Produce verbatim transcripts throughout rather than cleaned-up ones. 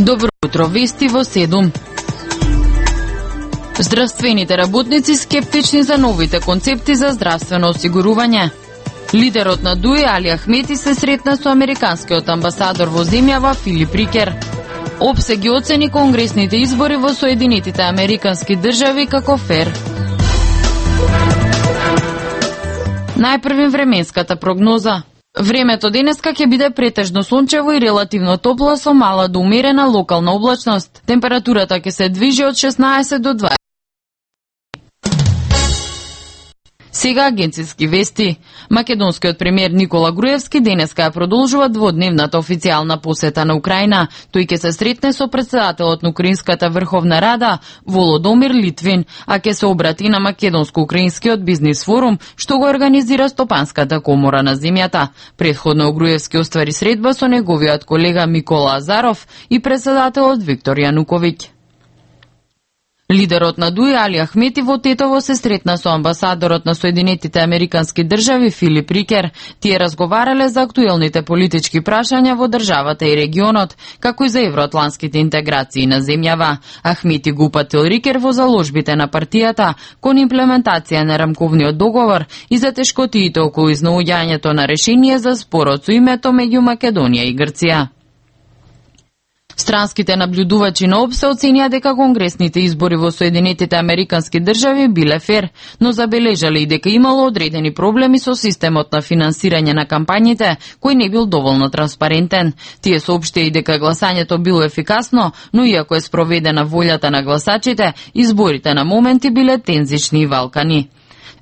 Добро утро, вести во седум. Здравствените работници скептични за новите концепти за здравствено осигурување. Лидерот на ДУИ Али Ахмети се сретна со американскиот амбасадор во земјава Филип Рикер. ОПСЕ ги оцени конгресните избори во Соединетите Американски држави како фер. Најпрвим временската прогноза. Времето денеска ќе биде претежно сончево и релативно топло со мала до умерена локална облачност. Температурата ќе се движи од шеснаесет до дваесет. Сега агенциски вести. Македонскиот премиер Никола Груевски денеска ја продолжува дводневната официјална посета на Украина. Тој ќе се сретне со претседателот на Украинската Врховна Рада Володомир Литвин, а ќе се обрати на Македонско-украинскиот бизнис форум, што го организира Стопанската комора на земјата. Претходно Груевски оствари средба со неговиот колега Микола Азаров и претседателот Виктор Јануковиќ. Лидерот на ДУИ Али Ахмети во Тетово се сретна со амбасадорот на Соединетите Американски држави Филип Рикер. Тие разговарале за актуелните политички прашања во државата и регионот, како и за евроатланските интеграции на земјава. Ахмети го упатил Рикер во заложбите на партијата кон имплементација на рамковниот договор и за тешкотиите околу изнаоѓањето на решение за спорот со името меѓу Македонија и Грција. Странските наблюдувачи на ОПСЕ оценија дека конгресните избори во Соединетите Американски држави биле фер, но забележале и дека имало одредени проблеми со системот на финансирање на кампањите, кој не бил доволно транспарентен. Тие соопштија и дека гласањето било ефикасно, но иако е спроведена волјата на гласачите, изборите на моменти биле тензични и валкани.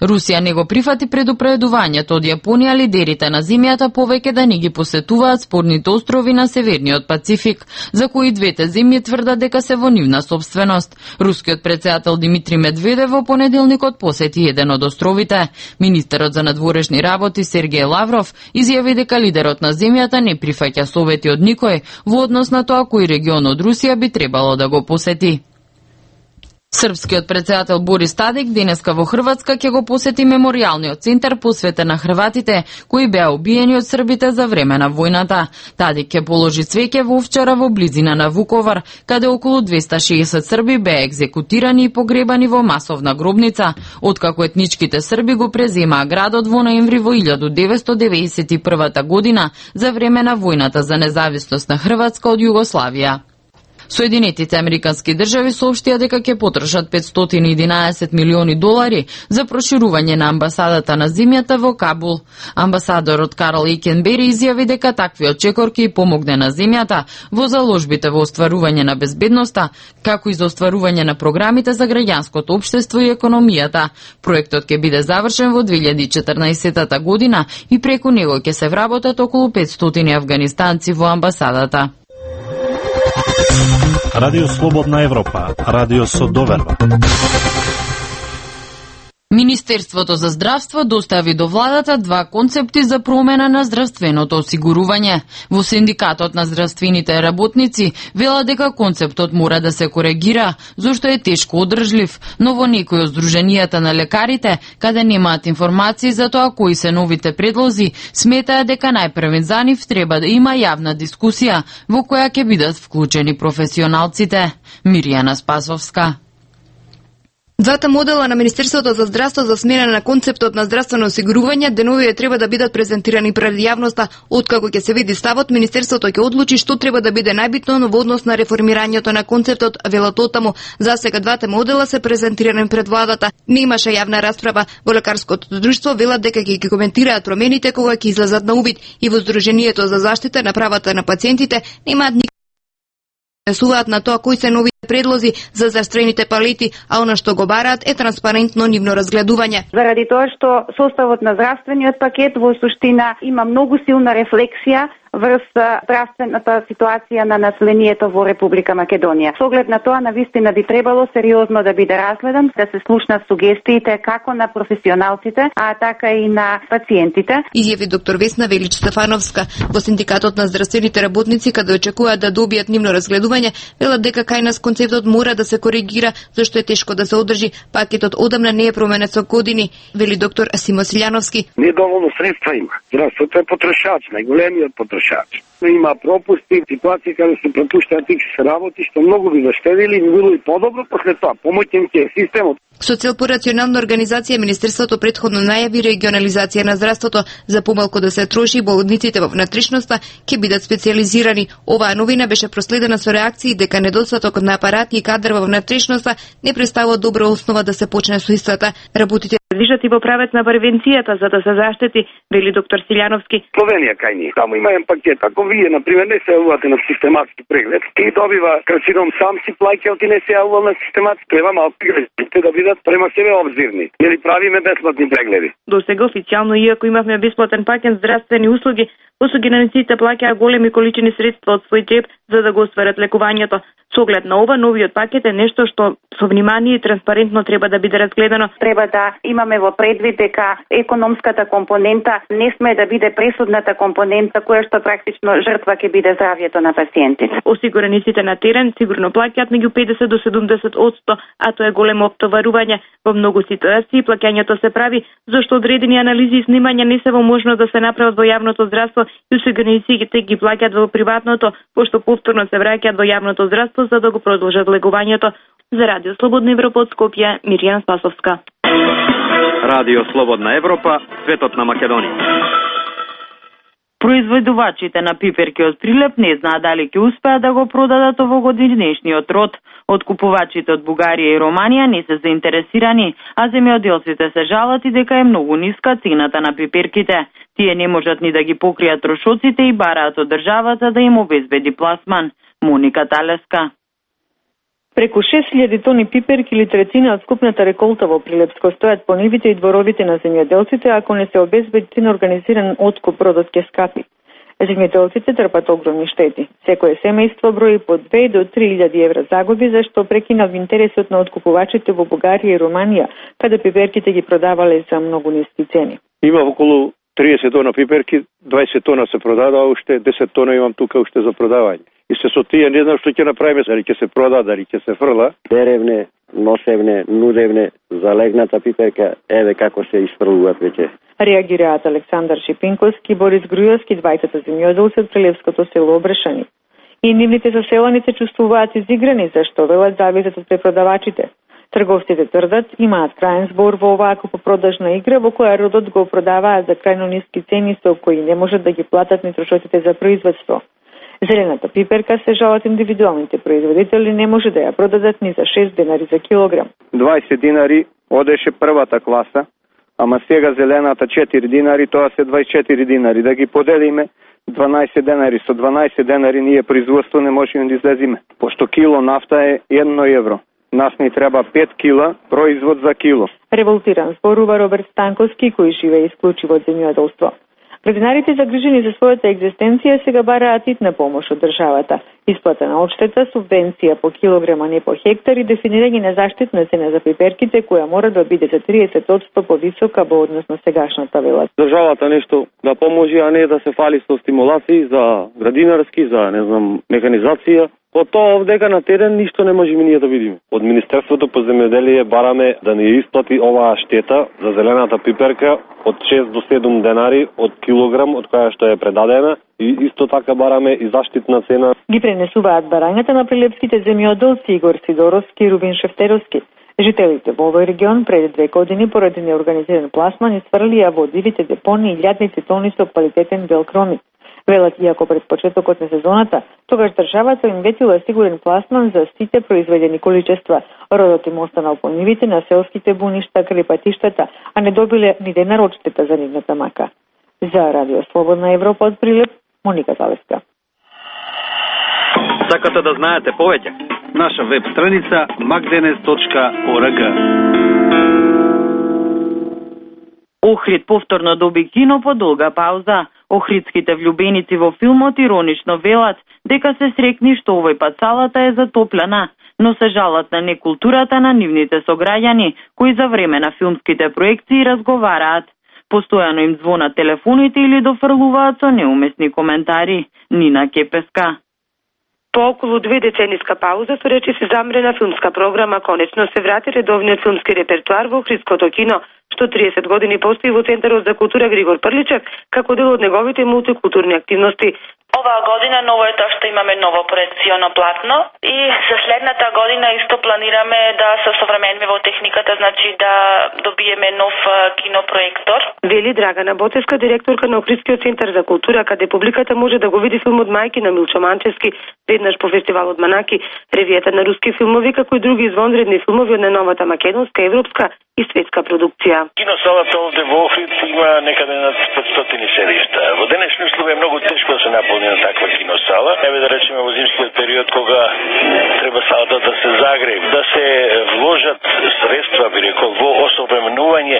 Русија не го прифати предупредувањето од Јапонија лидерите на земјата повеќе да не ги посетуваат спорните острови на Северниот Пацифик, за кои двете земји тврдат дека се во нивна собственост. Рускиот претседател Димитри Медведев во понеделникот посети еден од островите. Министерот за надворешни работи Сергеј Лавров изјави дека лидерот на земјата не прифаќа совети од никој во однос на тоа кој регион од Русија би требало да го посети. Српскиот претседател Борис Тадик денеска во Хрватска ќе го посети меморијалниот центар посветен на хрватите кои беа убиени од србите за време на војната. Тадик ќе положи цвеќе во Овчара во близина на Вуковар, каде околу двеста и шеесет срби беа екзекутирани и погребани во масовна гробница, откако етничките срби го преземаа градот во ноември во илјадум деветстотини деветдесет и прва година за време на војната за независност на Хрватска од Југославија. Соединетите Американски држави соопштија дека ќе потрошат петстотини и единаесет милиони долари за проширување на амбасадата на земјата во Кабул. Амбасадорот Карл Ейкенбери изјави дека таквиот чекор ќе помогне на земјата во заложбите во остварување на безбедноста, како и за остварување на програмите за граѓанското општество и економијата. Проектот ќе биде завршен во две илјади и четрнаесетта година и преку него ќе се вработат околу петстотини афганистанци во амбасадата. Радио Слободна Европа, радио со доверба. Министерството за здравство достави до владата два концепти за промена на здравственото осигурување. Во Синдикатот на здравствените работници велат дека концептот мора да се коригира, зашто е тешко одржлив, но во некои од здруженијата на лекарите, каде немаат информации за тоа кои се новите предлози, сметаат дека најпрвен за нив треба да има јавна дискусија во која ќе бидат вклучени професионалците. Миријана Спасовска. Двата модела на Министерството за здравство за смена на концептот на здравствено осигурување деновиве треба да бидат презентирани пред јавноста. Откако ќе се види ставот, Министерството ќе одлучи што треба да биде најбитно во однос на реформирањето на концептот, велат оттаму. За сега двата модела се презентирани пред владата. Не имаше јавна расправа. Во лекарското друштво велат дека ќе ги коментираат промените кога ќе излезат на увид и во Сдруженијето за заштита на правата на пациентите немаат никакви суваат на тоа кои се новите предлози за здравствените палети, а она што го бараат е транспарентно нивно разгледување. Заради тоа што составот на здравствениот пакет во суштина има многу силна рефлексија врз здравствената ситуација на населението во Република Македонија. Со оглед на тоа, навистина би требало сериозно да биде разгледан, да се слушнат сугестиите како на професионалците, а така и на пациентите. Изјави доктор Весна Велич Стефановска во Синдикатот на здравствените работници, каде очекуваат да добијат нивно разгледување, велат дека кај нас концептот мора да се коригира, зашто е тешко да се одржи. Пакетот одамна не е променет со години, вели доктор Симо Силјановски. Недоволно средства има. Здравството е потрошач, најголемиот потрошач. потрошач. Има пропусти, ситуации каде се пропуштаат икс работи, што многу би заштедили и би било и подобро после тоа. Помоќен ќе е системот. Со цел по рационална организација, Министерството претходно најави регионализација на здравството за помалку да се троши болниците во внатрешноста ќе бидат специјализирани. Оваа новина беше проследена со реакции дека недостатокот на апарати и кадар во внатрешноста не представува добра основа да се почне со истата. Работите движат и во правец на превенцијата за да се заштити, вели доктор Силјановски. Словенија кај ни, таму има еден пакет. Ако вие на пример не се јавувате на систематски преглед, и добива карцином сам си плаќа, ти не се јавува на систематски, треба малку граѓаните да бидат према себе обзирни. Нели правиме бесплатни прегледи. До сега официјално, иако имавме бесплатен пакет здравствени услуги, осигурениците плаќаа големи количини средства од свој џеб за да го остварат лекувањето. Со оглед на ова, новиот пакет е нешто што со внимание и транспарентно треба да биде разгледано. Треба да имаме во предвид дека економската компонента не сме да биде пресудната компонента која што практично жртва ќе биде здравјето на пациентите. Осигурениците на терен сигурно плаќаат меѓу педесет до седумдесет одсто, а тоа е големо оптоварување. Во многу ситуации плаќањето се прави зашто одредени анализи и снимања не се во можност да се направат во јавното здравство и осигурениците ги плаќаат во приватното, пошто повторно се враќаат во јавното здравство за да го продолжат легувањето. За Радио Слободна Европа од Скопје, Мирјана Спасовска. Радио Слободна Европа, светот на Македонија. Производувачите на пиперки од Прилеп не знаат дали ќе успеат да го продадат овогодишниот род. Откупувачите од Бугарија и Романија не се заинтересирани, а земјоделците се жалат и дека е многу ниска цената на пиперките. Тие не можат ни да ги покријат трошоците и бараат од државата да им обезбеди пласман. Моника Талеска. Преку шест илјади тони пиперки или трецина од скупната реколта во Прилепско стојат по нивите и дворовите на земјоделците, ако не се обезбеди на организиран откуп, родот ќе скапи. Земјоделците трпат огромни штети. Секое семејство брои по две до три илјади евра загуби, зашто прекинав интересот на откупувачите во Бугарија и Романија, каде пиперките ги продавале за многу ниски цени. Има околу триесет тона пиперки, дваесет тона се продадоа, уште десет тона имам тука уште за продавање. И се со тие не знам што ќе направиме, дали ќе се прода, дали ќе се фрла. Деревне, носевне, нудевне, залегната пиперка, еве како се испрлуваат веќе. Реагираат Александар Шипинковски, Борис Грујовски, двајцата земјоделци од Прилепското село Обрешани. И нивните заселани се чувствуваат изиграни, зашто велат зависат од препродавачите. Трговците тврдат, имаат крајен збор во оваа купопродажна игра во која родот го продаваат за крајно ниски цени со кои не можат да ги платат ни трошоците за производство. Зелената пиперка се жалат индивидуалните производители не може да ја продадат ни за шест денари за килограм. дваесет динари одеше првата класа, ама сега зелената четири динари, тоа се дваесет и четири динари. Да ги поделиме дванаесет денари, со дванаесет денари ние производство не можеме да излезиме. Пошто кило нафта е едно евро. Нас ни треба пет кила производ за кило. Револтиран зборува Роберт Станковски, кој живее исклучиво од земјоделство. Градинарите загрижени за својата екзистенција сега бараат итна помош од државата. Исплата на одштета, субвенција по килограм, а не по хектар и дефинирање на заштитна цена за пиперките која мора да биде за триесет одсто повисока во однос на сегашната, велат. Државата нешто да поможи, а не да се фали со стимулации за градинарски, за не знам, механизација. По тоа овдека на терен ништо не можеме ние да видиме. Од Министерството по земјоделие бараме да ни исплати оваа штета за зелената пиперка од шест до седум денари од килограм од која што е предадена и исто така бараме и заштитна цена. Ги пренесуваат барањата на прилепските земјоделци Игор Сидоровски и Рубин Шефтеровски. Жителите во овој регион пред две години поради неорганизиран пласман исфрлија во дивите депони илјадници тони со квалитетен бел кромит. Велат, иако пред почетокот на сезоната, тогаш државата им ветила сигурен пласман за сите произведени количества. Родот им останал по нивите на селските буништа край патиштата, а не добиле ни денар одштета за нивната мака. За Радио Слободна Европа од Прилеп, Моника Талеска. Сакате да знаете повеќе? Наша веб страница макденес точка орг. Охрид повторно доби кино по долга пауза. Охридските влюбеници во филмот иронично велат дека се срекни што овој пат салата е затоплена, но се жалат на некултурата на нивните сограѓани, кои за време на филмските проекции разговараат. Постојано им звонат телефоните или дофрлуваат со неуместни коментари. Нина Кепеска. По околу две децениска пауза со речи се замрена филмска програма, конечно се врати редовниот филмски репертуар во охридското кино, што триесет години постои во Центарот за култура Григор Прличев како дел од неговите мултикултурни активности. Оваа година ново е тоа што имаме ново проекционо платно и за следната година исто планираме да се современиме во техниката, значи да добиеме нов кинопроектор. Вели Драгана Боцевска, директорка на Охридскиот центар за култура, каде публиката може да го види филмот Мајки на Милчо Манчевски, веднаш по фестивалот Манаки, ревијата на руски филмови, како и други извонредни филмови од најновата македонска, европска и светска продукција. Киносалата овде во Охрид има некаде над петстотини седишта. Во денешни услови е многу тешко да се наполни на таква киносала. Еве да речеме во зимскиот период кога треба салата да се загрее, да се вложат средства, би рекол, во осовременување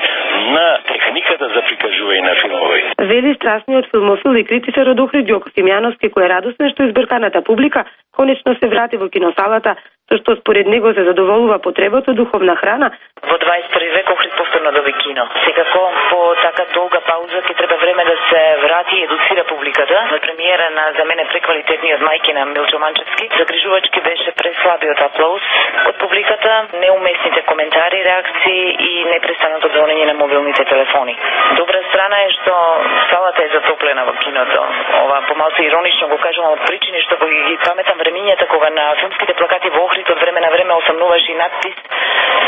на техниката за прикажување на филмови. Вели страстниот филмофил и критичар од Охрид Ѓоко Симјановски, кој е радосен што избрканата публика конечно се врати во киносалата, со што според него се задоволува потребата духовна храна. Во дваесет и први век Охрид повторно доби кино. Секако по така долга пауза ќе треба време да се врати и едуцира публиката. На премиера на за мене преквалитетниот Мајки на Милчо Манчевски загрижувачки беше преслабиот аплауз од публиката, неуместните коментари, реакции и непрестаното звонење на мобилните телефони. Добра страна е што салата е затоплена во киното. Ова помалку иронично го кажувам од причини што ги паметам времињата кога на филмските плакати во Охрид од време на време осамнуваше и надпис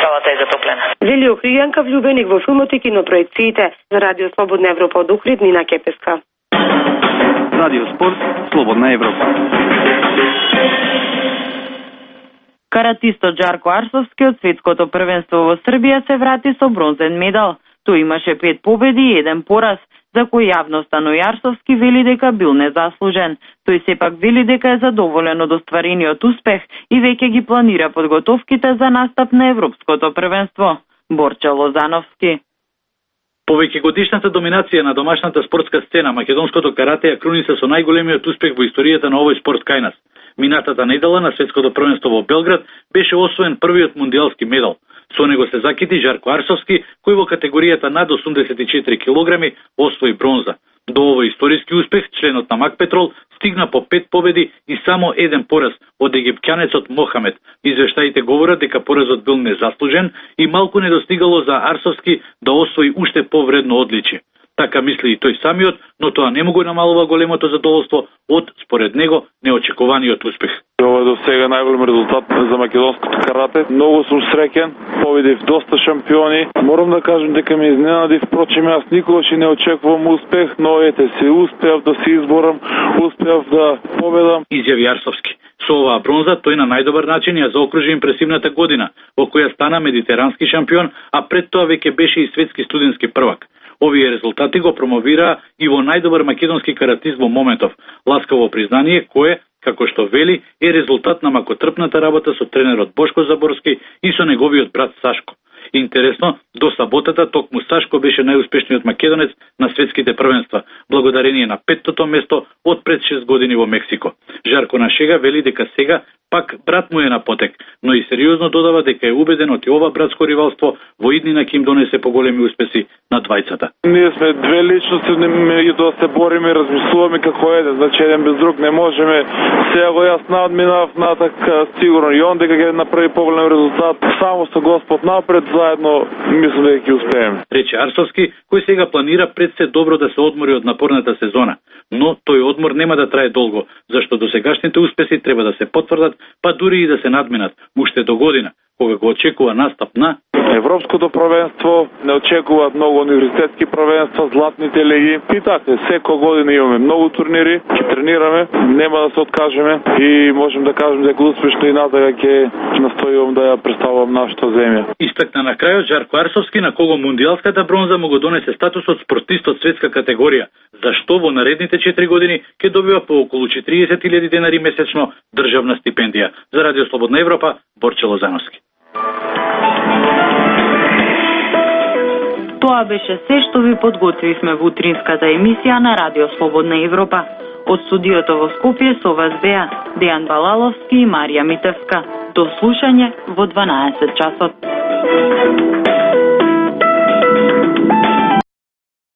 салата е затоплена. Вели Охријанка влюбеник во филмот и кинопроекциите. За Радио Слободна Европа од Охрид, Нина Кепеска. Радио Спорт, Слободна Европа. Каратистот Жарко Арсовски од светското првенство во Србија се врати со бронзен медал. Тој имаше пет победи и еден пораз, за кој јавноста Нојарсовски вели дека бил незаслужен. Тој сепак вели дека е задоволен од остварениот успех и веќе ги планира подготовките за настап на Европското првенство. Борче Лозановски. Повеќе годишната доминација на домашната спортска сцена, македонското карате ја круниса со најголемиот успех во историјата на овој спорт кај нас. Минатата недела на светското првенство во Белград беше освоен првиот мундијалски медал. Со него се закити Жарко Арсовски, кој во категоријата над осумдесет и четири килограми освои бронза. До овој историски успех членот на Макпетрол стигна по пет победи и само еден пораз од египќанецот Мохамед. Извештаите говорат дека поразот бил незаслужен и малку не достигало за Арсовски да освои уште повредно одличие. Така мисли и тој самиот, но тоа не му го намалува големото задоволство од, според него, неочекуваниот успех. Ова е до сега најголем резултат за македонското карате. Многу сум среќен, победив доста шампиони. Морам да кажам дека ме изненади, впрочем јас никогаш не очекувам успех, но ете се успеав да се изборам, успеав да победам. Изјави Арсовски. Со оваа бронза тој на најдобар начин ја заокружи импресивната година, во која стана медитерански шампион, а пред тоа веќе беше и светски студентски првак. Овие резултати го промовираа и во најдобар македонски каратист во моментов, ласкаво признание кое, како што вели, е резултат на макотрпната работа со тренерот Бошко Заборски и со неговиот брат Сашко. Интересно, до саботата токму Сашко беше најуспешниот македонец на светските првенства, благодарение на петтото место од пред шест години во Мексико. Жарко на шега вели дека сега пак брат му е на потек, но и сериозно додава дека е убеден од ова братско ривалство во иднина ќе им донесе поголеми успеси на двајцата. Ние сме две личности, меѓутоа се бориме, размислуваме како еден, значи еден без друг не можеме. Сега го јас надминав натак сигурно и он дека ќе направи поголем резултат. Само со Господ напред, заедно мислам дека ќе успееме. Рече Арсовски, кој сега планира пред се добро да се одмори од напорната сезона, но тој одмор нема да трае долго, зашто досегашните успеси треба да се потврдат, па дури и да се надминат уште до година, кога го очекува настап на Европското првенство, не очекуваат многу универзитетски првенства, златните лиги. И така, секоја година имаме многу турнири, ќе тренираме, нема да се откажеме и можем да кажем дека успешно и натака ќе настојувам да ја представувам нашата земја. Истакна на крајот Жарко Арсовски, на кого мундијалската бронза му го донесе статусот спортист од светска категорија, зашто во наредните четири години ќе добива по околу четириесет илјади денари месечно државна стипендија. За Радио Слободна Европа, Борче Лозановски. Тоа беше се што ви подготвивме во утринската емисија на Радио Слободна Европа. Од студиото во Скопје со вас беа Дејан Балаловски и Марија Митевска. До слушање во дванаесет часот.